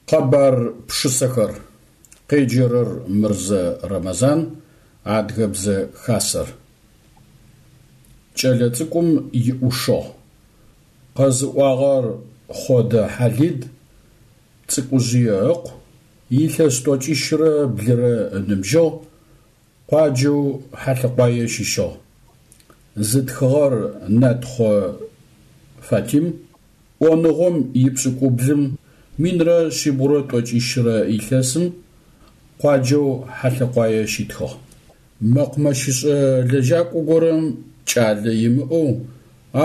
Къэбар пшысэхэр. Къеджэрэр Мырзэ Рэмэзан, Адыгэбзэ Хасэр. Кӏэлэцӏыкӏум иӏушыгъ. Къэзыӏуагъэр Хъодэ Хьалид, Цӏыкӏужъые ыкъу, илъэс тӏокӏищрэ блырэ ыныбжьыгъ, къуаджэу Хьалъэкъуае щыщыгъ. Зытхыгъэр Натхъо Фатим, ӏоныгъом ипшӏыкӏублым минрэ шъибгъурэ тӏокӏищрэ илъэсым къуаджэу Хьалъэкъуае щитхыгъ. Мэкъумэщышӏэ лэжьакӏо горэм кӏалэ имыӏэу,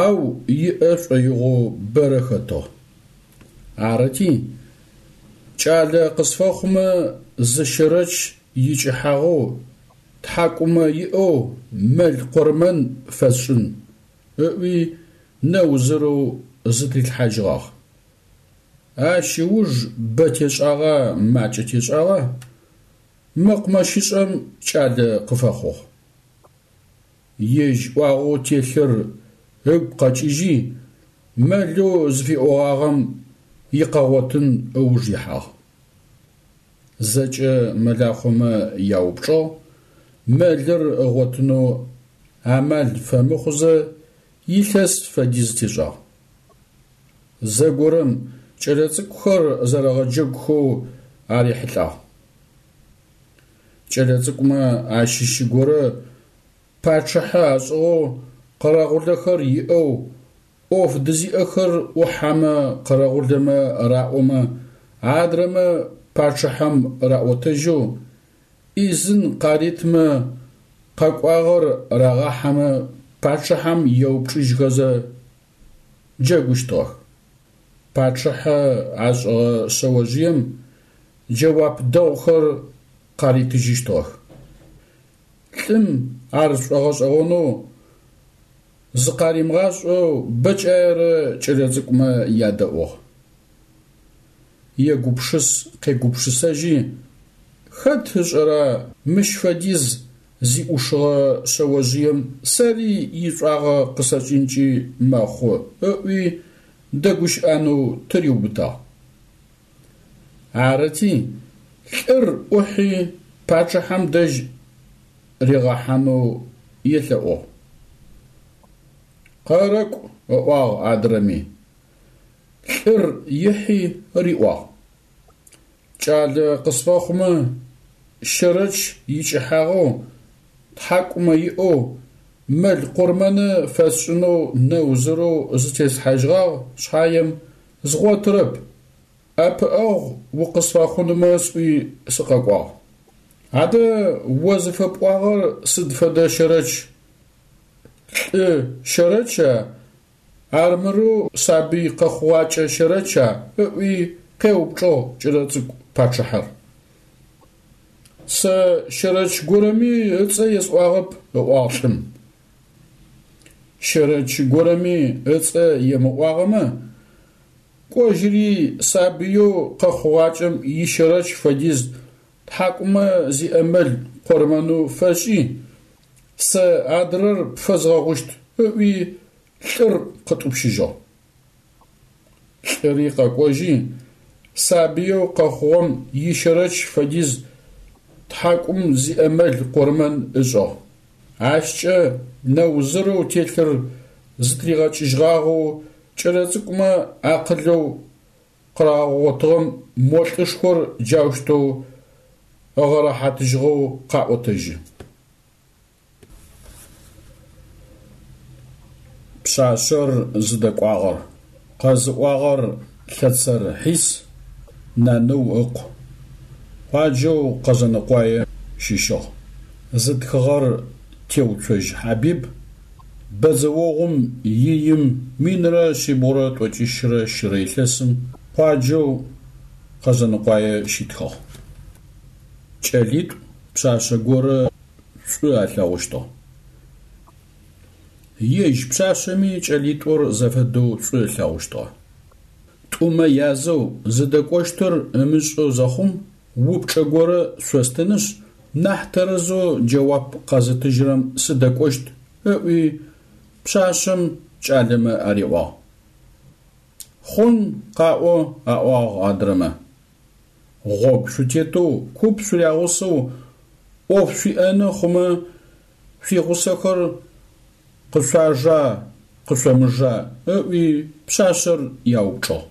ау иӏэ шӏоигъоу бэрэ хэтыгъ. Арыти, кӏалэ къысфэхъумэ зы щэрэч икӏыхьагъэу, тхьакӏумэ иӏэу мэл къурмэн фэсшӏын, ыӏуи нэузырэу зытрилъхьажьыгъагъ. Ащ ыуж бэ тешӏагъа, макӏэ тешӏагъа, мэкъумэщышӏэм кӏалэ къыфэхъугъ. Ежь ӏуагъэу телъыр ыгу къэкӏыжьи, мэлэу зыфиӏогъагъэм икъэгъотын ыуж ихьагъ. Зэкӏэ мэлахъомэ яупчӏыгъ, мэлыр ыгъотынэу амал фэмыхъузэ илъэс фэдиз тешӏагъ. Зэгорэм кӏэлэцӏыкӏухэр зэрэгъэджэгухэу арихьылӏагъ. Кӏэлэцӏыкӏумэ ащыщ горэ пачъыхьэ ашӏыгъэу къэрэгъулэхэр иӏэу, ӏоф дызиӏэхэр ӏухьэмэ къэрэгъулэмэ раӏомэ, адрэмэ пачъыхьэм раӏотэжьэу, ӏизын къаритмэ, къэкӏуагъэр рагъахьэмэ пачъыхьэм еупчӏыжьхэзэ джэгущтыгъэх. Пачъыхьэ ашӏыгъэ шъэожъыем джэуап дэгъухэр къаритыжьыщтыгъэх. Лӏым ар шӏогъэшӏэгъонэу зыкъаримыгъашӏэу бэкӏаерэ кӏэлэцӏыкӏумэ ядэӏугъ. Егупшыс-къегупшысэжьи, хэт ышӏэра мыщ фэдиз зиӏушыгъэ шъэожъыем сэри ишӏуагъэ къысэкӏынкӏи мэхъу ыӏуи дэгущыӏэнэу тыриубытагъ. Арыти, лӏыр ӏухьи пачъыхьэм дэжь ригъэхьанэу елъэӏугъ. Къэрэкӏу, ыӏуагъ адрэми. Лӏыр ихьи риӏуагъ. Кӏалэ къысфэхъумэ, щэрэч икӏыхьагъэу, тхьакӏумэ иӏэу, мэл къурмэны фэсшӏынэу нэузырэу зытеслъхьажьыгъагъ шъхьаем, згъотырэп, ӏэпыӏэгъу укъысфэхъунмэ сӏуи сыкъэкӏуагъ. Адэ о зыфэпӏуагъэр сыд фэдэ щэрэч? Лӏы щэрэча, армырэу сабый къэхъугъакӏэ щэрэча? ыӏуи къеупчӏыгъ кӏэлэцӏыкӏу пачъыхьэр. Сэ щэрэч горэми ыцӏэ есӏуагъэп, ыӏуагъ лӏым. Щэрэч горэми ыцӏэ емыӏуагъэмэ, кӏожьыри сабыеу къэхъугъакӏэм ищэрэч фэдиз тхьакӏумэ зиӏэ мэл къурмэнэу фэшӏи, сэ адрэр пфэзгъэгъущт, ыӏуи лӏыр къытӏупщыжьыгъ. Лӏыри къэкӏожьи, сабыеу къэхъугъэм ищэрэч фэдиз тхьакӏум зиӏэ мэл къурмэн ышӏыгъ. Ащкӏэ нэузырэу телъыр зытыригъэкӏыжьыгъагъэу кӏэлэцӏыкӏумэ акъылэу къырагъэгъотыгъэм мо лӏышхор джаущтэу ыгъэрэхьатыжьыгъэу къаӏотэжьы. Пшъашъэр зыдэкӏуагъэр къэзыӏуагъэр Лъэцэр Хьис, Наныу ыкъу. Къуаджэу Къэзэныкъуае щыщыгъ. Зытхыгъэр Теуцожь Хьабиб, бэдзэогъум иим минрэ шъибгъурэ тӏокӏищрэ щырэ илъэсым къуаджэу Къэзэныкъуае щитхыгъ. Кӏэлитӏу пшъашъэ горэ шӏу алъэгъущтыгъ. Ежь пшъашъэми кӏэлитӏур зэфэдэу шӏу ылъэгъущтыгъэ. Тӏумэ язэу зыдэкӏощтыр ымышӏэу зэхъум, упчӏэ горэ шъостынышъ, нахь тэрэзэу джэуап къэзытыжьырэм сыдэкӏощт, ыӏуи, пшъашъэм кӏалэмэ ариӏуагъ. Хъун, къаӏо, аӏуагъ адрэмэ. Гъогу шъутетэу куп шъурягъусэу ӏоф шъуиӏэны хъумэ, шъуигъусэхэр къышъуажа, къышъомыжа? ыӏуи пшъашъэр яупчӏыгъ.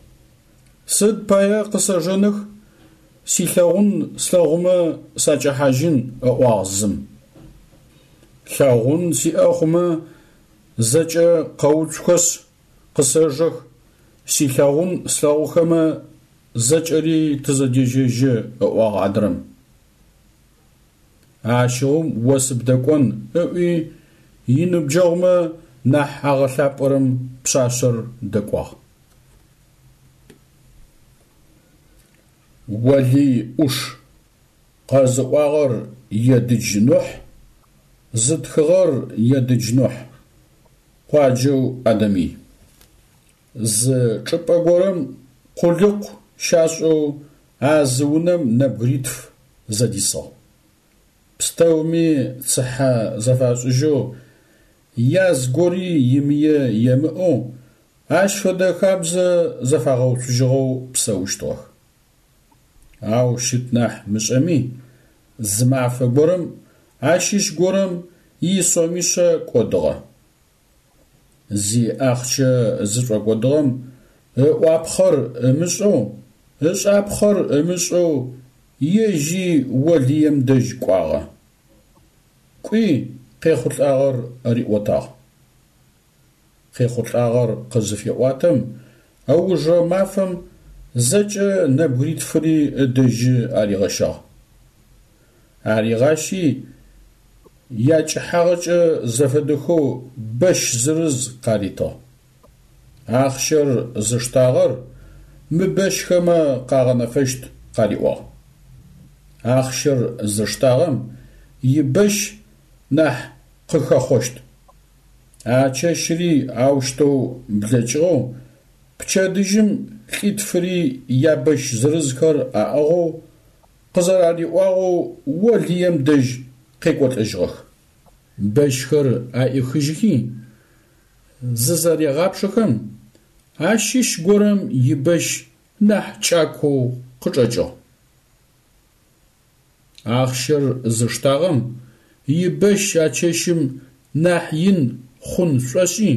Сыд пае къысэжэных, силъэгъун слъэгъумэ сакӏэхьажьын, ыӏуагъ зым. Лъэгъун сиӏэ хъумэ, зэкӏэ къэуцухэшъ, къысэжэх, силъэгъун слъэгъухэмэ, зэкӏэри тызэдежьэжьы, ыӏуагъ адрэм. Ащыгъум о сыбдэкӏон, ыӏуи, иныбджэгъумэ нахь агъэлъапӏэрэм пшъашъэр дэкӏуагъ. Олый ӏуш. Къэзыӏуагъэр Едыдж Нухь, зытхыгъэр Едыдж Нухь. Къуаджэу Адэмый. Зы чӏыпӏэ горэм къулыкъу щашӏэу а зы унэм нэбгыритф зэдисыгъ. Пстэуми цыхьэ зэфашӏыжьэу, яз гори имые емыӏэу, ащ фэдэ хабзэ зэфагъэуцужьыгъэу псэущтыгъэх. Ау щыт нахь мышӏэми, зы мафэ горэм ащыщ горэм исомишъэ кӏодыгъэ. Зи ахъщэ зышӏокӏодыгъэм ыӏуапхъэр ымышӏэу, ышӏапхъэр ымышӏэу ежьи Олыем дэжь кӏуагъэ. Кӏуи къехъулӏагъэр риӏотагъ. Къехъулӏагъэр къызыфеӏуатэм, ыужрэ мафэм зэкӏэ нэбгыритфыри ыдэжьы аригъэщагъ. Аригъащи, якӏыхьагъэкӏэ зэфэдэхэу бэщ зырыз къаритыгъ. Ахъщэр зыштагъэр мы бэщхэмэ къагъэнэфэщт къариӏуагъ. Ахъщэр зыштагъэм ибэщ нахь къыхэхъощт. А чэщри аущтэу блэкӏыгъэу, пчэдыжьым лӏитфыри ябэщ зырызхэр аӏыгъэу, къызэрариӏуагъэу Олыем дэжь къекӏолӏэжьыгъэх. Бэщхэр аӏихыжьхи, зызэрегъапшэхэм, ащыщ горэм ибэщ нахь кӏакоу къычӏэкӏыгъ. Ахъщэр зыштагъэм ибэщ а чэщым нахь ин хъун шӏошӏи,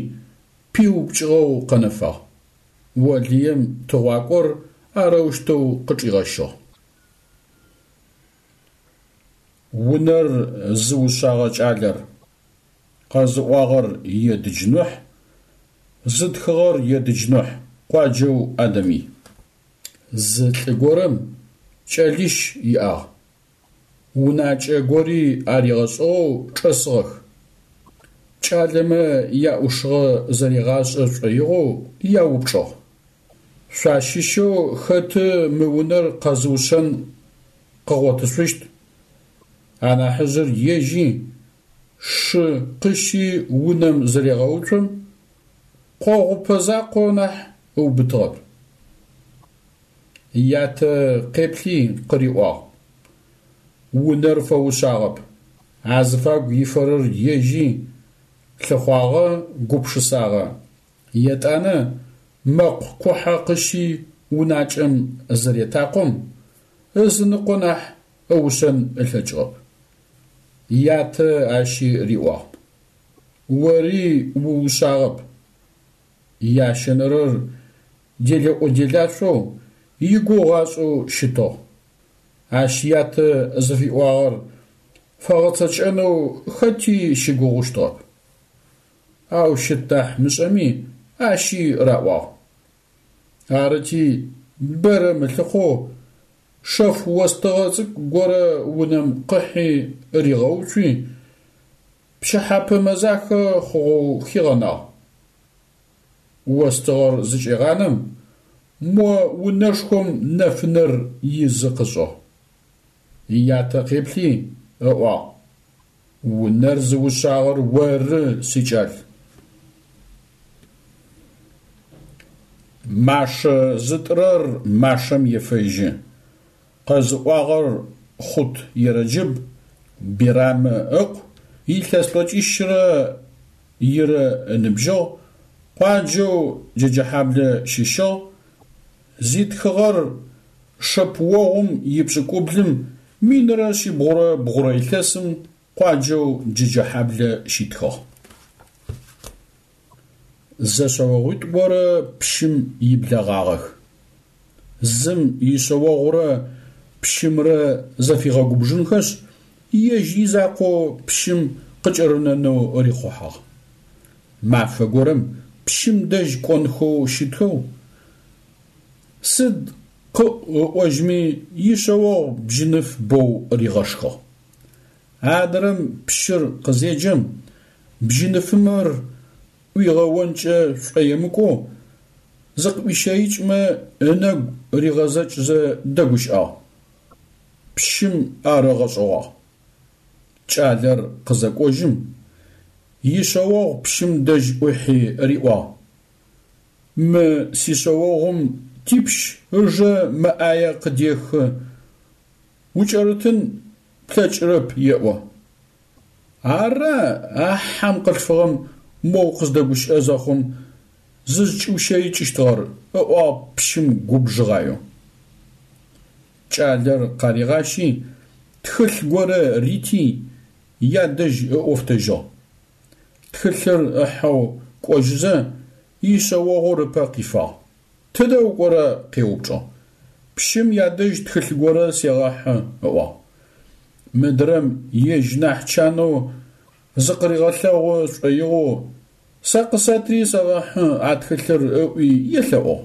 пиупкӏыгъэу къэнэфагъ. Олыем тыгъуакӏор арэущтэу къычӏигъэщыгъ. Унэр зыушъагъэ кӏалэр, къэзыӏуагъэр Едыдж Нухь, зытхыгъэр Едыдж Нухь, къуаджэу Адэмый. Зы лӏы горэм кӏэлищ иӏагъ. Унакӏэ гори аригъэшӏыгъэу чӏэсыгъэх. Кӏалэмэ яӏушыгъэ зэригъашӏэ шӏоигъоу яупчӏыгъ. Шъуащыщэу хэты мы унэр къэзыушъэн къыгъотышъущт? Анахьыжъыр ежьи, шы къыщи унэм зырегъэуцом, къогъупэ закъо нахь ыубытыгъэп. Ятэ къеплъи къыриӏуагъ. Унэр фэушъагъэп. Азыфагу ифэрэр ежьи, лъыхъуагъэ, гупшысагъэ. Етӏанэ мэкъу кухьэ къыщи унакӏэм зыретакъом, ызыныкъо нахь ыушъэн ылъэкӏыгъэп. Ятэ ащи риӏуагъ. Ори уушъагъэп. Ящэнэрэр делэӏо-делашъоу, игугъу ашӏэу щытыгъ. Ащ ятэ зыфиӏуагъэр фэгъэцэкӏэнэу хэти щыгугъущтыгъэп. Ау щыт нахь мышӏэми, ащи раӏуагъ. Арыти, бэрэ мылъыхъоу, шэф остыгъэ цӏыкӏу горэ унэм къыхьи ригъэуцуи, пчыхьэпэ мэзахэ хъугъэу хигъэнагъ. Остыгъэр зыкӏегъанэм, мо унэшхом нэфынэр изы къышӏыгъ. Ятэ къеплъи, ыӏуагъ, Унэр зыушъагъэр оры, сикӏал. Машэ зытӏырэр машэм ефэжьы. Къэзыӏуагъэр Хъут Ерэджыб, Бирамэ ыкъу, илъэс тӏокӏищрэ ирэ ыныбжьыгъ, къуаджэу Джэджэхьаблэ щыщыгъ, зитхыгъэр. Шэпыогъум ипшӏыкӏублым минрэ шъибгъурэ бгъурэ илъэсым къуаджэу Джэджэхьаблэ щитхыгъ. Зэшъэогъуитӏу горэ пщым иблэгъагъэх. Зым ишъэогъурэ пщымрэ зэфигъэгубжынхэшъ, ежь изакъоу пщым къыкӏэрынэнэу рихъухьагъ. Мафэ горэм пщым дэжь кӏонхэу щытхэу, сыд къыӏу ыӏожьми, ишъэогъу бжьыныф боу ригъэшхыгъ. Адрэм пщыр къызеджэм, бжьыныфымэр ӏуигъэонкӏэ шӏоемыкӏоу, зыкъыӏуищэикӏмэ ынэгу ригъэзэкӏзэ дэгущыӏагъ. Пщым ар ыгъэшӏэгъуагъ. Кӏалэр къызэкӏожьым, ишъэогъу пщым дэжь ӏухьи риӏуагъ, Мы сишъэогъум типщ ыжэ мэ ӏае къыдехы, укӏэрытын плъэкӏырэп еӏо. Ара а хьэм къылъфыгъэм моу къыздэгущыӏэ зэхъум зызкӏиущэикӏыщтыгъэр, ыӏуагъ пщым губжыгъаеу. Кӏалэр къаригъащи, тхылъ горэ рити, ядэжь ыӏофтэжьыгъ. Тхылъыр ыхьэу кӏожьызэ, ишъэогъур ыпэ къифагъ. Тыдэ укӏорэ? къеупчӏыгъ. Пщым ядэжь тхылъ горэ сегъэхьы, ыӏуагъ. Мыдрэм ежь нахь чанэу зыкъыригъэлъэгъу шӏоигъоу, сэ къысэтри сэгъэхьы а тхылъыр ыӏуи елъэӏугъ.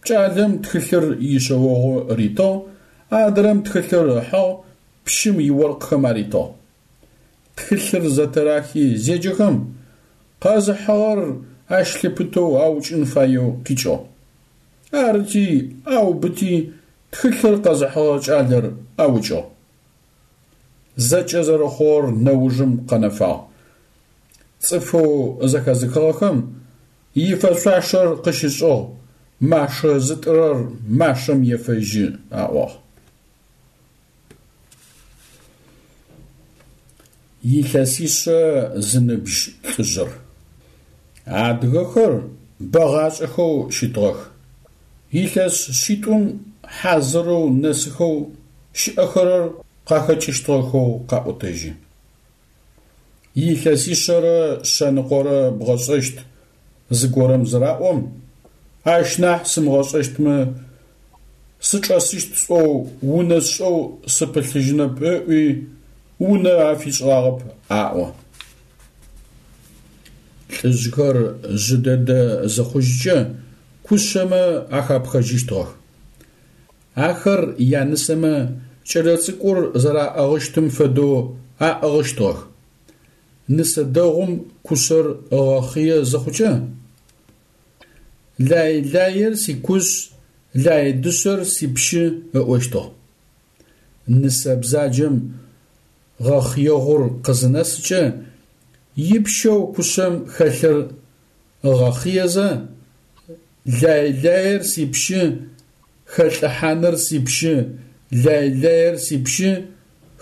Кӏалэм тхылъыр ишъэогъу ритыгъ, адрэм тхылъыр ыхьыгъ, пщым иоркъхэм аритыгъ. Тхылъыр зэтырахи зеджэхэм, къэзыхьыгъэр ащ лъыпытэу аукӏын фаеу къикӏыгъ. Арыти, аубыти, тхылъыр къэзыхьыгъэ кӏалэр аукӏыгъ. Зэкӏэ зэрэхъугъэр нэужым къэнэфагъ. Цӏыфэу зэхэзыхыгъэхэм ифэшъуашэр къыщышӏыгъ, машэ зытӏырэр машэм ефэжьы, аӏуагъ. Илъэсишъэ зыныбжь лӏыжъыр. Адыгэхэр бэгъашӏэхэу щытыгъэх. Илъэс шъитӏум хьазырэу нэсыхэу щыӏэхэрэр къахэкӏыщтыгъэхэу къаӏотэжьы. Илъэсишъэрэ шъэныкъорэ бгъэшӏэщт зыгорэм зыраӏом, ащ нахь сымыгъэшӏэщтмэ, сычӏэсыщт сӏоу унэ сшӏэу сыпылъыжьынэп ыӏуи, унэ афишӏыгъагъэп аӏо. Лӏыжъхэр жъы дэдэ зыхъужькӏэ кушъэмэ ахапхэжьыщтыгъэх. Ахэр янысэмэ кӏэлэцӏыкӏур зэраӏыгъыщтым фэдэу аӏыгъыщтыгъэх. Нысэ дэгъум кушъэр ыгъэхъые зыхъукӏэ, Лай-лаер сикушъ, лай дышъэр сипщы ыӏощтыгъ. Нысэ бзаджэм гъэхъыегъур къызынэсыкӏэ, ипщэу кушъэм хэлъыр ыгъэхъыезэ, Лай-лаер сипщы, хэлӏыхьаныр сипщы, лай-лаер сипщы,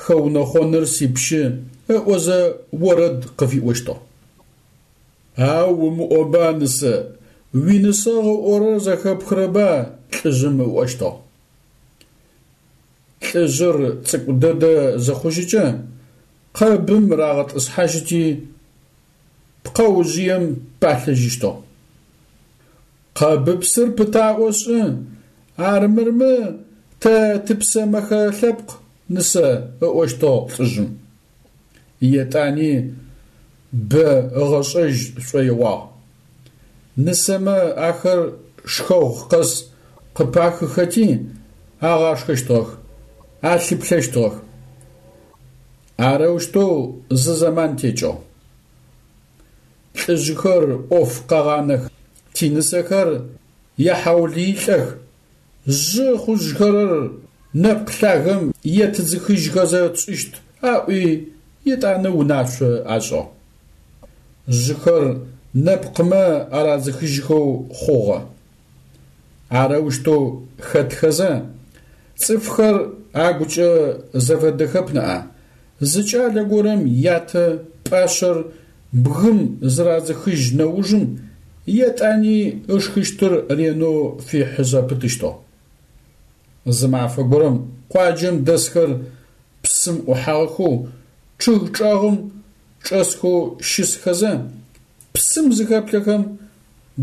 хэунэхъоныр сипщы, ыӏозэ орэд къыфиӏощтыгъ. Ау умыӏоба, нысэ, уинысэгъу ыӏорэр зэхэпхырэба? лӏыжъым ыӏощтыгъ. Лӏыжъыр цӏыкӏу дэдэ зыхъужьыкӏэ, къэбым рагъэтӏысхьажьыти, пкъэужъыем палъэжьыщтыгъ. Къэбыпсыр пытаӏо шӏы, армырмэ тэ тыпсэ мэхэ лъэпкъ, нысэ, ыӏощтыгъ лӏыжъым. Етӏани бэ ыгъэшӏэжь шӏоигъуагъ. Нысэмэ ахэр шхэгъу къэс къыпахыхэти, агъашхэщтыгъэх, алъыплъэщтыгъэх. Арэущтэу зы зэман текӏыгъ. Лӏыжъхэр ӏоф къэгъанэх, тинысэхэр яхьаулыилӏэх, жъы хъужьхэрэр нэпкъ лъагэм етыдзыхыжьхэзэ тшӏыщт, аӏуи, етӏанэ унашъо ашӏыгъ. Жъыхэр нэпкъмэ арадзыхыжьхэу хъугъэ. Арэущтэу хэтхэзэ, цӏыфхэр агукӏэ зэфэдэхэп ныӏа, зы кӏалэ горэм ятэ пӏашъэр бгым зырадзыхыжь нэужым етӏани ышхыщтыр ренэу фихьы зэпытыщтыгъ. Зы мафэ горэм къуаджэм дэсхэр псым ӏухьагъэхэу чъыг чӏэгъым чӏэсхэу щысхэзэ, псым зыхэплъэхэм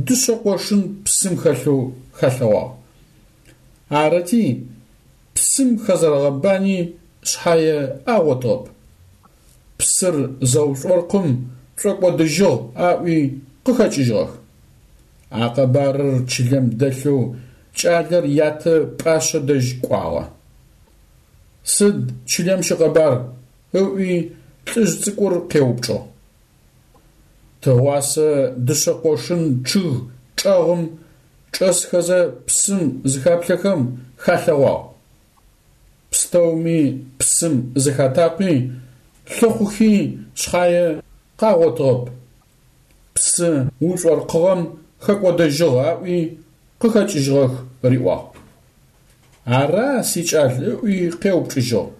дышъэ къошын псым хэлъэу халъэгъуагъ. Арыти, псым хэзэрэгъэбани шъхьае агъотыгъэп. Псыр зэушӏоркъым шӏокӏодыжьыгъ аӏуи къыхэкӏыжьыгъэх. А къэбарыр чылэм дэлъэу кӏалэр ятэ пӏашъэ дэжь кӏуагъэ. Сыд чылэм щыкъэбар? ыӏуи лӏыжъ цӏыкӏур къеупчӏыгъ. Тыгъуасэ дышъэ къошын чъыг чӏэгъым чӏэсхэзэ псым зыхаплъэхэм халъэгъуагъ. Пстэуми псым зыхатакъуи, лъыхъухи шъхьае къагъотыгъэп. Псы ушӏоркъыгъэм хэкӏодэжьыгъ аӏуи къыхэкӏыжьыгъэх, риӏуагъ. Ара, сикӏал, ыӏуи къеупчӏыжьыгъ.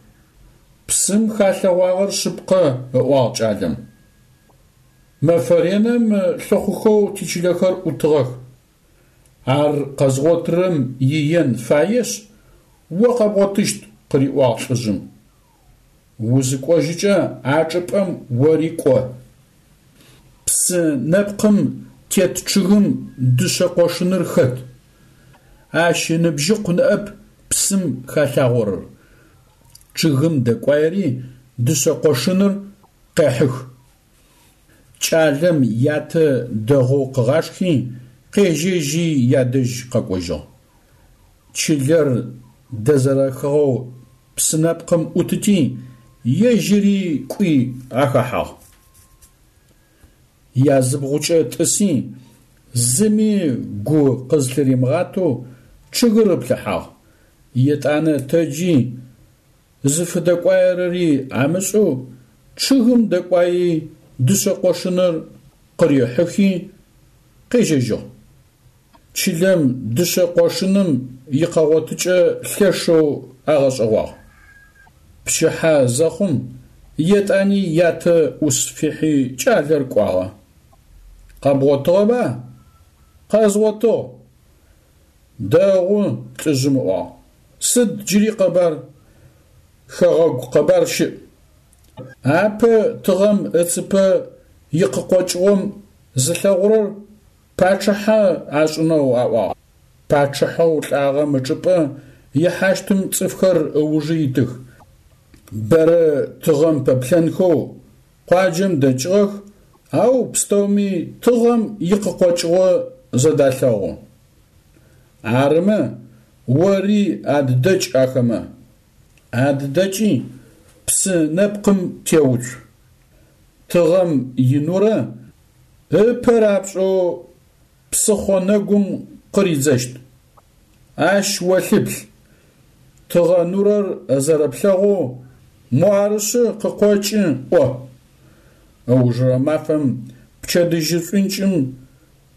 Псым халъэгъуагъэр шъыпкъэ, ыӏуагъ кӏалэм. Мэфэ реным лъыхъухэу тичылэхэр ӏутыгъэх. Ар къэзгъотырэм иен фаешъ, о къэбгъотыщт, къыриӏуагъ лӏыжъым. Узыкӏожьыкӏэ а чӏыпӏэм ори кӏо. Псы нэпкъым тет чъыгым дышъэ къошыныр хэт. Ащ ыныбжьыкъу ныӏэп псым халъагъорэр. Чъыгым дэкӏуаери дышъэ къошыныр къехьых. Кӏалэм ятэ дэгъоу къыгъашхи, къежьэжьи ядэжь къэкӏожьыгъ. Чылэр дэзэрэхыгъэу псы нэпкъым ӏутыти, ежьыри кӏуи ахэхьагъ. Языбгъукӏэ тӏыси, зыми гу къызлъыримыгъатэу чъыгыр ыплъыхьагъ. Етӏанэ тэджи, зыфыдэкӏуаерэри амышӏэу, чъыгым дэкӏуаи дышъэ къошыныр къырихьыхи, къежьэжьыгъ. Чылэм дышъэ къошыным икъэгъотыкӏэ лъэшэу агъэшӏэгъуагъ. Пчыхьэ зэхъум, етӏани ятэ ӏус фихьи кӏалэр кӏуагъэ. Къэбгъотыгъэба? Къэзгъотыгъ. Дэгъу, лӏыжъым ыӏуагъ. Сыд джыри къэбар? Хэгъэгу къэбар щыӏ. Апэ тыгъэм ыцыпэ икъыкъокӏыгъом зылъэгъурэр пачъыхьэ ашӏынэу аӏуагъ. Пачъыхьэу лӏагъэм ычӏыпӏэ ихьащтым цӏыфхэр ыужы итых. Бэрэ тыгъэм пэплъэнхэу къуаджэм дэкӏыгъэх, ау пстэуми тыгъэм икъыкъокӏыгъо зэдалъэгъу. Арымэ, ори аддэкӏ ахэмэ. Аддэкӏи, псы нэпкъым теуцу. Тыгъэм инурэ ыпэ рапшӏэу псыхъо нэгум къыридзэщт. Ащ о лъыплъ. Тыгъэ нурэр зэрэплъэгъоу муарышъы къыкъокӏы ӏо. Ыужырэ мафэм пчэдыжьы шӏункӏым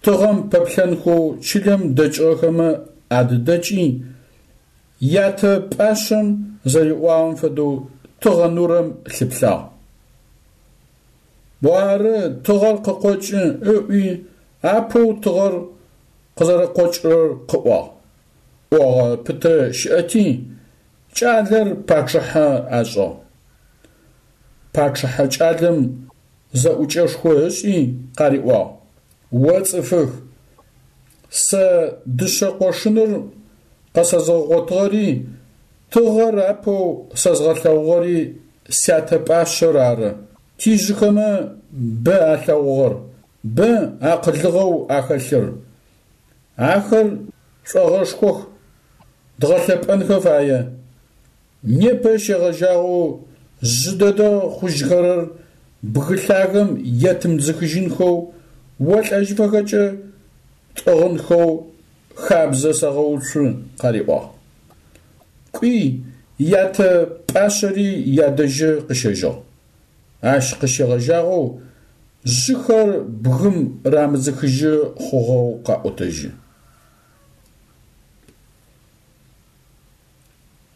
тыгъэм пэплъэнхэу чылэм дэкӏыгъэхэмэ адыдэкӏи, ятэ пӏашъэм зэриӏуагъэм фэдэу тыгъэ нурэм лъыплъагъ. Муары, тыгъэр къыкъокӏы, ыӏуи, апэу тыгъэр къызэрэкъокӏырэр къыӏуагъ. ӏогъэ пытэ щыӏэти, кӏалэр пачъыхьэ ашӏыгъ. Пачъыхьэ кӏалэм зэӏукӏэшхо ышӏи къариӏуагъ, О цӏыфых, сэ дышъэ къошыныр къэсэзгъэгъотыгъэри, тыгъэр апэу сэзгъэлъэгъугъэри сятэ пӏашъэр ары. Тижъыхэмэ бэ алъэгъугъэр, бэ акъылыгъэу ахэлъыр. Ахэр шӏогъэшхох, дгъэлъэпӏэнхэ фае. Непэ щегъэжьагъэу жъы дэдэ хъужьхэрэр бгы лъагэм етымыдзыхыжьынхэу, олӏэжьыфэхэкӏэ тӏыгъынхэу хабзэ сэгъэуцу, къариӏуагъ. Кӏуи, ятэ пӏашъэри ядэжьы къыщэжьыгъ. Ащ къыщегъэжьагъэу жъыхэр бгым рамыдзыхыжьы хъугъэу къаӏотэжьы.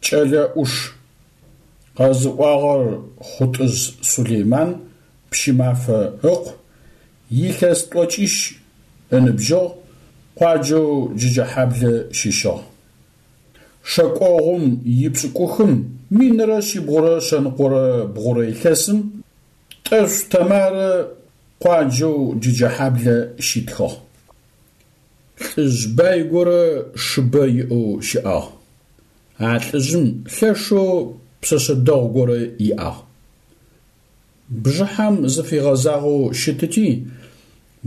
Кӏэлэ ӏуш. Къэзыӏуагъэр Хъутӏыжъ Сулейман Пщымафэ ыкъу, илъэс тӏокӏищ ыныбжьыгъ, къуаджэу Джэджэхьаблэ щыщыгъ. Шэкӏогъум ипшӏыкӏухым 1123 илъэсым Тӏэшъу Тэмарэ къуаджэу Джэджэхьаблэ щитхыгъ. Лӏыжъ бай горэ шыбэ иӏэу щыӏагъ. А лӏыжъым лъэшэу пшъэшъэ дэгъу горэ иӏагъ. Бжыхьэм зыфигъэзагъэу щытыти,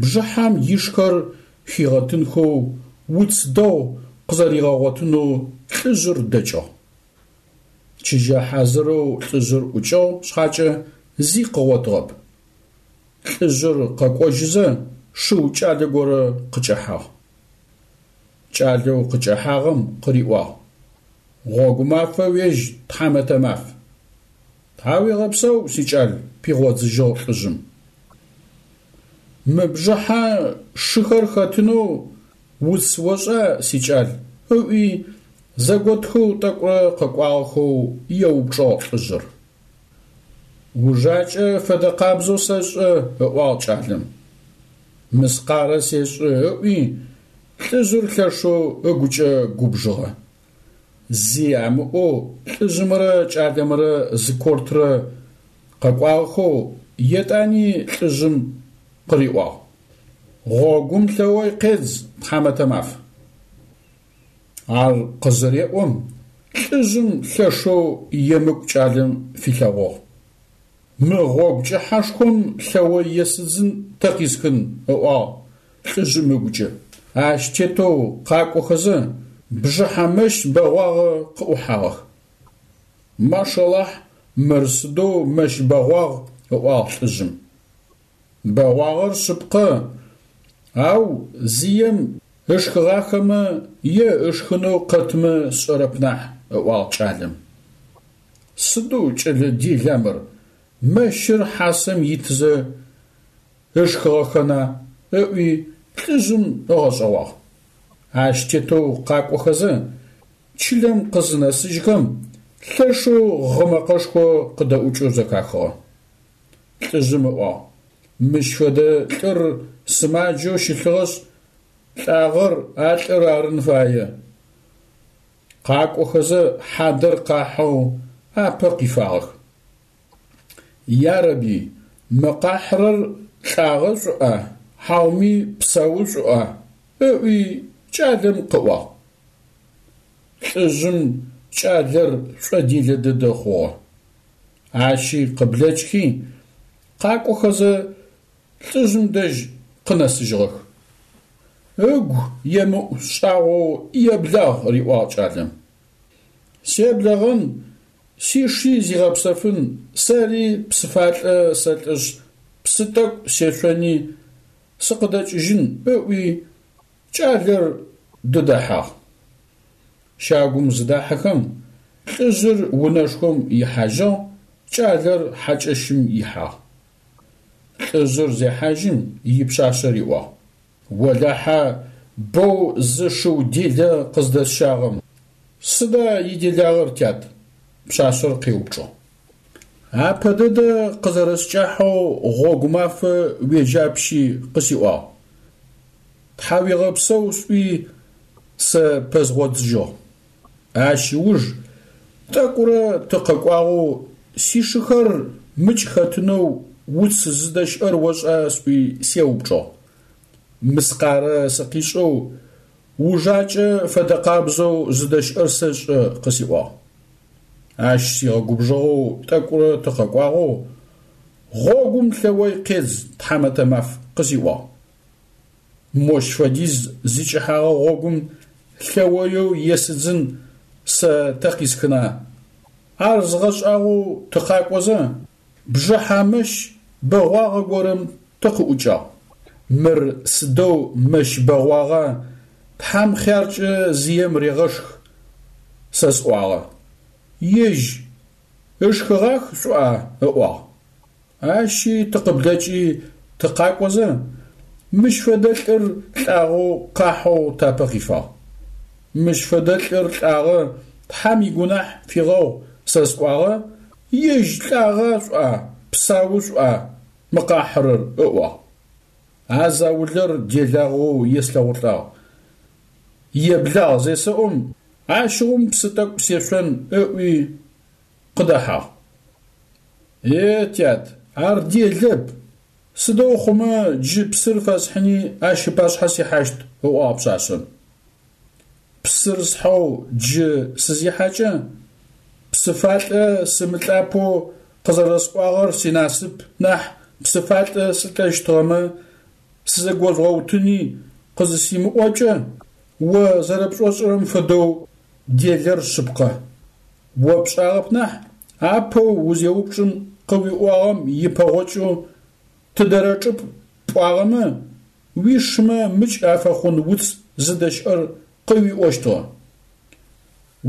бжыхьэм ишхэр хигъэтынхэу уц дэгъу къызэригъэгъотынэу лӏыжъыр дэкӏыгъ. Чыжьэ хьазырэу лӏыжъыр ӏукӏыгъ шъхьакӏэ зи къыгъотыгъэп. Лӏыжъыр къэкӏожьызэ шыу кӏалэ горэ къыкӏэхьагъ. Кӏалэу къыкӏэхьагъэм къыриӏуагъ: Гъогу мафэ уежь, тхьамэтэ маф. Тхьауегъэпсэу, сикӏал, пигъодзыжьыгъ лӏыжъым. Мы бжыхьэ шыхэр хэтынэу уц ошӏа, сикӏал? ыӏуи, зэготхэу тӏэкӏурэ къэкӏуагъэхэу еупчӏыгъ лӏыжъыр. Ужакӏэ фэдэ къабзэу сэшӏэ, ыӏуагъ кӏалэм. Мыскъарэ сешӏы, ыӏуи, лӏыжъыр лъэшэу ыгукӏэ губжыгъэ. Зи амыӏоу лӏыжъымрэ кӏалэмрэ зы кортрэ къэкӏуагъэхэу етӏани лӏыжъым къыриӏуагъ: Гъогум лъэой къедз, тхьамэтэ маф. Ар къызыреӏом, лӏыжъым лъэшэу емыкӏу кӏалэм филъэгъугъ. Мы гъогу кӏыхьэшхом лъэой есыдзын тэ къисхын, ыӏуагъ лӏыжъым ыгукӏэ. Ащ тетэу къакӏохэзэ, бжыхьэ мэщ бэгъуагъэ къыӏухьагъэх. Машалахь, мыр сыдэу мэщ бэгъуагъ, ыӏуагъ лӏыжъым. Бэгъуагъэр шъыпкъэ, ау зием ышхыгъахэмэ е ышхынэу къэтмэ сшӏэрэп нахь, ыӏуагъ кӏалэм. Сыдэу кӏэлэ дела мыр, мэщыр хьасэм итызэ ышхыгъэхэна, ыӏуи лӏыжъым ыгъэшӏэгъуагъ. Ащ тетэу къакӏохэзэ, чылэм къызынэсыжьхэм, лъэшэу гъы мэкъэшхо къыдэӏукӏэу зэхахыгъэ. Лӏыжъым ыӏуагъ, Мыщ фэдэ лӏыр сымаджэу щылъыгъэшъ, лӏагъэр а лӏыр арын фае. Къакӏохэзэ хьадэр къахьэу апэ къифагъэх. Ярэби, мы къахьырэр лӏагъэ шӏуӏа, хьауми псау шӏуӏа? ыӏуи кӏалэм къыӏуагъ. Лӏыжъым кӏалэр шӏоделэ дэдэ хъугъэ. Ащи къыблэкӏхи, къакӏохэзэ лӏыжъым дэжь къынэсыжьыгъэх. Ыгу емыӏу шӏагъоу еблагъ, риӏуагъ кӏалэм. Себлэгъэн, сиши зигъэпсэфын, сэри псыфалӏэ сэлӏэшъ, псы тӏэкӏу сешъони, сыкъыдэкӏыжьын, ыӏуи, кӏалэр дыдэхьагъ. Щагум зыдахьэхэм, лӏыжъыр унэшхом ихьажьыгъ, кӏалэр хьакӏэщым ихьагъ. Лӏыжъыр зехьажьым, ипшъашъэ риӏуагъ. Олахьэ, боу зы шыу делэ къыздэсщагъэм. Сыда иделагъэр, тят? Пшъашъэр къеупчӏыгъ. Апэ дэдэ къызэрэскӏахьэу гъогу мафэ уежьапщи къысиӏуагъ. Тхьауегъэпсэу сӏуи сэ пэзгъодзыжьыгъ. Ащ ыуж тӏэкӏурэ тыкъэкӏуагъэу сишыхэр мыкӏ хэтынэу уц зыдэщыӏэр ошӏа сӏуи сеупчӏыгъ. Мыскъарэ сыкъишӏэу ужакӏэ фэдэкъабзэу зыдэщыӏэр сэшӏэ къысиӏуагъ. Ащ сигъэгубжыгъэу тӏэкӏурэ тыкъэкӏуагъэу гъогум лъэой къедз тхьамэтэ маф къысиӏуагъ. Мощ фэдиз зикӏыхьагъэ гъогум лъэоеу есыдзын сэ тэ къисхына? Ар згъэшӏагъоу тыкъакӏозэ, бжыхьэ мэщ бэгъуагъэ горэм тыкъыӏукӏагъ. Мыр сыдэу мэщ бэгъуагъа, Тхьэм хъяркӏэ зием регъэшх, сэ сӏуагъэ. Ежь ышхыгъах шӏуа? ыӏуагъ. Ащи тыкъыблэкӏи тыкъакӏозэ, мыщ фэдэ лӏыр лӏагъэу къахьэу тапэ къифагъ. Мыщ фэдэ лӏыр лӏагъэ, Тхьэм игунахь фигъэгъу сэ сӏуагъэ, ежь лӏагъа шӏуа, псау шӏуа мы къахьырэр, ыӏуагъ. А заулэр делагъэу еслъэгъулӏагъ. Еблагъ зесэӏом. Ащыгъум псы тӏэкӏу сешъон ыӏуи къыдэхьагъ. Е, тят, ар делэп, сыдэу хъумэ джы псыр фэсхьыни ащ ыпашъхьэ сихьащт, ыӏуагъ пшъашъэм. Псыр схьэу джы сызихьэкӏэ, псыфалӏэ сымылӏапэу къызэрэсӏуагъэр синасып нахь псыфалӏэ сылӏэщтыгъэмэ, сызэгожъугъэутыни къызысимыӏокӏэ, о зэрэпшӏошӏырэм фэдэу делэр шъыпкъэ. О пшӏагъэп нахь, апэу узеупчӏым къыуиӏуагъэм ипэгъокӏэу тыдэрэ чӏыпӏ пӏуагъэмэ, уишмэ мыкӏ афэхъун уц зыдэщыӏэр къыуиӏощтыгъэ.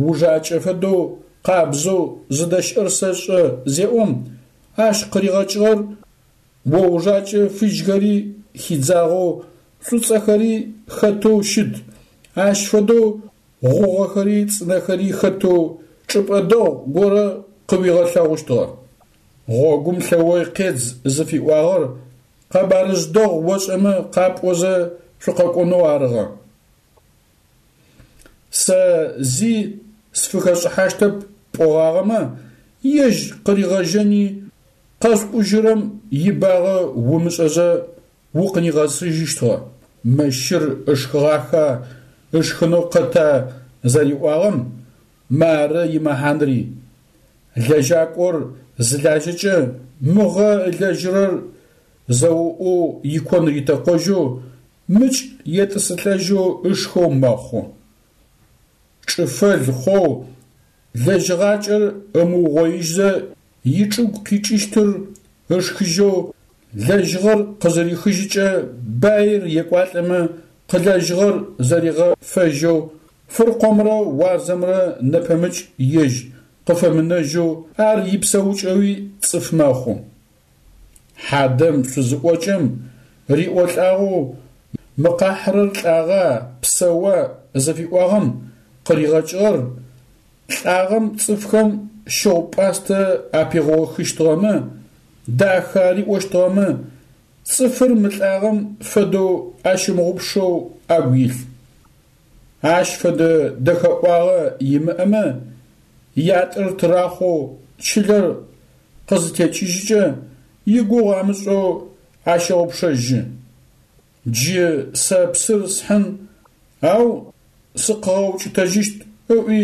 Ужакӏэ фэдэу къабзэу зыдэщыӏэр сэшӏэ зеӏом, ащ къыригъэкӏыгъэр о ужакӏэ фыжьхэри хидзагъэу шӏуцӏэхэри хэтэу щыт, ащ фэдэу гъугъэхэри цӏынэхэри хэтэу чӏыпӏэ дэгъу горэ къыуигъэлъэгъущтыгъэ. Гъогум лъэой къедз зыфиӏуагъэр къэбарыжъ дэгъу ошӏэмэ къапӏозэ шъукъэкӏонэу арыгъэ. Сэ зи сфыхэшӏыхьащтэп пӏогъагъэмэ, ежь къыригъэжьэни, къэшъукӏужьырэм ибагъэ умышӏэзэ укъынигъэсыжьыщтыгъэ. Мэщыр ышхыгъаха, ышхынэу къэта зэриӏуагъэм мары имэхьанри. Лэжьакӏор зылажьэкӏэ мыгъэ ылэжьырэр зэуӏоу икон ритэкъожьэу, мыкӏ етӏысылӏэжьэу ышхэу мэхъу. Чӏыфэл хъоу лэжьыгъакӏэр ымыугъоижьзэ ичӏыгу къикӏыщтыр ышхыжьэу лэжьыгъэр къызырихыжьыкӏэ баир екӏуалӏэмэ къылэжьыгъэр зэригъэфэжьэу фыркъомрэ уарзэмрэ нэпэмыкӏ ежь къыфэмынэжьэу ар ипсэукӏэуи цӏыф мэхъу. Хьадэм шъузыӏокӏэм риӏолӏагъэу мы къахьырэр лӏагъа, псэуа зыфиӏуагъэм къыригъэкӏыгъэр лӏагъэм цӏыфхэм щыгъу-пӏастэ апигъохыщтыгъэмэ, дахэ ариӏощтыгъэмэ, цӏыфыр мылӏагъэм фэдэу ащымыгъупшэу агу илъ. Ащ фэдэ дэхэӏуагъэ имыӏэмэ, ятӏэр тырахъоу чылэр къызытекӏыжькӏэ, игугъу амышӏэу ащэгъупшэжьы. Джы сэ псыр схьын, ау сыкъыгъэукӏытэжьыщт, ыӏуи,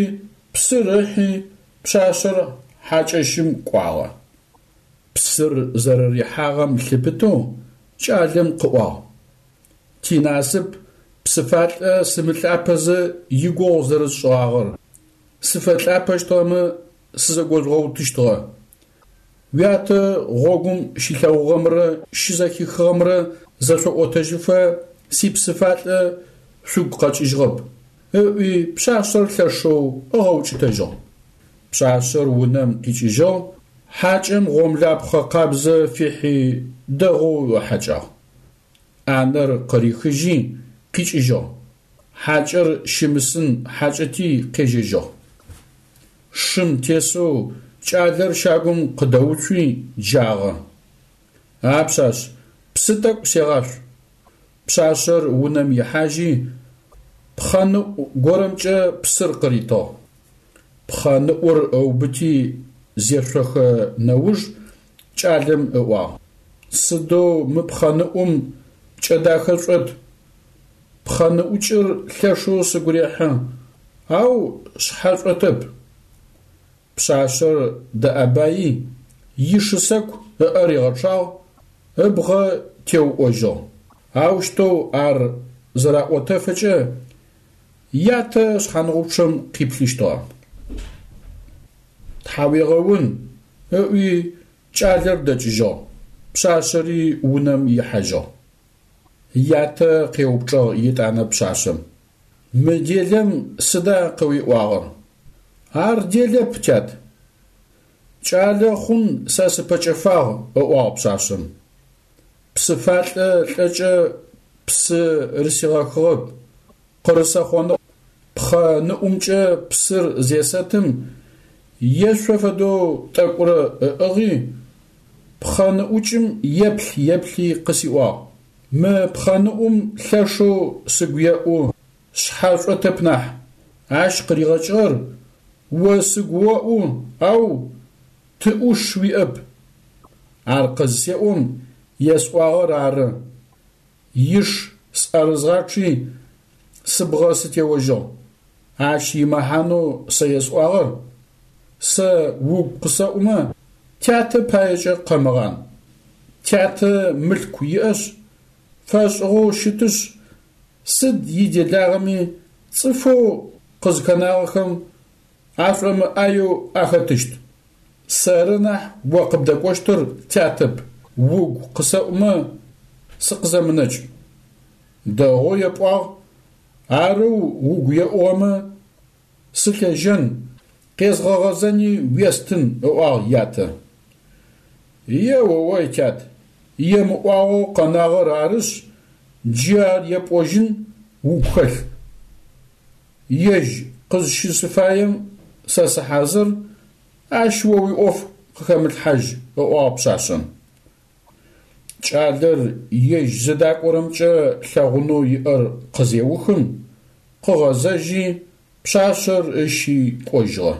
псыр ыхьи, пшъашъэр хьакӏэщым кӏуагъэ. Псыр зэрэрихьагъэм лъыпытэу кӏалэм къыӏуагъ. Тинасып псыфалӏэ сымылӏапэзэ игугъу зэрысшӏыгъагъэр, сыфэлӏапэщтыгъэмэ сызэгожъугъэутыщтыгъэ. Уятэ гъогум щилъэгъугъэмрэ щызэхихыгъэмрэ зэшъоӏотэжьыфэ сипсыфалӏэ шъугу къэкӏыжьыгъэп, ыӏуи пшъашъэр лъэшэу ыгъэукӏытэжьыгъ. Пшъашъэр унэм къикӏыжьыгъ, хьакӏэм гъомлапхъэ къабзэ фихьи дэгъоу ыхьэкӏагъ. ӏанэр къырихыжьи, къикӏыжьыгъ. Хьакӏэр щымысын хьакӏэти къежьэжьыгъ. Шым тесэу кӏалэр щагум къыдэуцуи джагъэ. А пшъашъ, псы тӏэкӏу сегъашъу. Пшъашъэр унэм ихьажьи, пхъэныӏу горэмкӏэ псыр къыритыгъ. Пхъэныӏур ыубыти зешъохэ нэуж кӏалэм ыӏуагъ. Сыдэу мы пхъэныӏум пкӏэ дахэ шӏот. Пхъэныӏукӏыр лъэшэу сыгу рехьы, ау шъхьэ шӏотэп. Пшъашъэр дэӏэбаи, ишысэку ыӏэ ригъэчъагъ, ыбгъэ теуӏожьыгъ. Аущтэу ар зэраӏотэфэкӏэ ятэ шъхьангъупчъэм къиплъыщтыгъэ. Тхьауегъэун, ыӏуи кӏалэр дэкӏыжьыгъ, пшъашъэри унэм ихьажьыгъ. Ятэ къеупчӏыгъ етӏанэ пшъашъэм. Мы делэм сыда къыуиӏуагъэр? Ар делэп, тят. Кӏалэ хъун сэ сыпэкӏэфагъ, ыӏуагъ пшъашъэм. Псыфалӏэ лӏэкӏэ псы рысигъэхыгъэп, къырысэхъоныгъ. Пхъэ ныӏумкӏэ псыр зесэтым, ешъо фэдэу тӏэкӏурэ ыӏыгъи, пхъэныӏукӏым еплъ-еплъи къысиӏуагъ. Мы пхъэныӏум лъэшэу сыгу еӏу, шъхьэ шӏотэп нахь. Ащ къыригъэкӏыгъэр, о сыгу оӏу, ау ты ӏуш уиӏэп. Ар къызысеӏом, есӏуагъэр ары. Иш сӏэрызгъачъи, сыбгъэ сытеожьыгъ. Ащ имэхьанэу сэ есӏуагъэр, Сэ угу къысэӏумэ, тятэ паекӏэ къэмыгъан. Тятэ мылъку иӏэшъ, фэшӏыгъэу щытышъ, сыд иделагъэми цӏыфэу къызхэнагъэхэм ашӏомыӏаеу ахэтыщт. Сэры нахь о къыбдэкӏощтыр тятэп, угу къысэӏумэ, сыкъызэмынэкӏ. Дэгъоу епӏуагъ, арэу угу еӏугъэмэ, сылъежьэн, къезгъэгъэзэни уестын, ыӏуагъ ятэ. Е-о-ой, тят, емыӏуагъэу къэнагъэр арышъ, джы ар епӏожьын угу хэлъ. Ежь къызщысыфаем сэ сыхьазыр, ащ о уиӏоф къыхэмылъхьажь, ыӏуагъ пшъашъэм. Кӏалэр ежь зыдакӏорэмкӏэ лъэгъунэу иӏэр къызеухым, къыгъэзэжьи, пшъашъэр ыщи кӏожьыгъэ.